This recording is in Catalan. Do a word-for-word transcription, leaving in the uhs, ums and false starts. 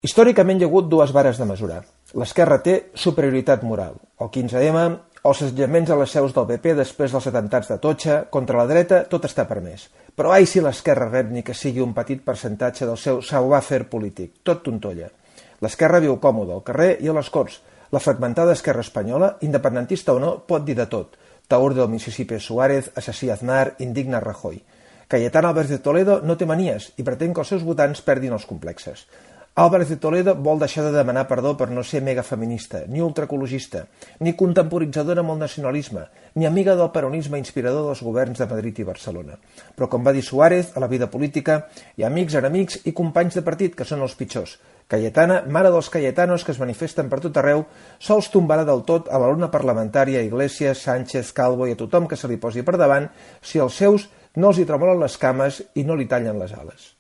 Històricament hi ha hagut dues vares de mesurar. L'esquerra té superioritat moral. El quinze eme, els assetjaments a les seus del pe pe després dels atemptats d'Atocha, contra la dreta tot està permès. Però ai si l'esquerra rep ni que sigui un petit percentatge del seu savoir-faire polític, tot tontolla. L'esquerra viu còmode al carrer i a les Corts. La fragmentada esquerra espanyola, independentista o no, pot dir de tot. Taur del Mississippi Suárez, assassí Aznar, indigna Rajoy. Cayetana Álvarez de Toledo no té manies i pretén que els seus votants perdin els complexes. Álvarez de Toledo vol deixar de demanar perdó per no ser megafeminista, ni ultraecologista, ni contemporitzadora amb el nacionalisme, ni amiga del peronisme inspirador dels governs de Madrid i Barcelona. Però, com va dir Suárez, a la vida política hi ha amics, enemics i companys de partit, que són els pitjors. Cayetana, mare dels cayetanos que es manifesten per tot arreu, sols tombarà del tot a la luna parlamentària, Iglesias, Sánchez, Calvo i a tothom que se li posi per davant si els seus no els hi tremolen les cames i no li tallen les ales.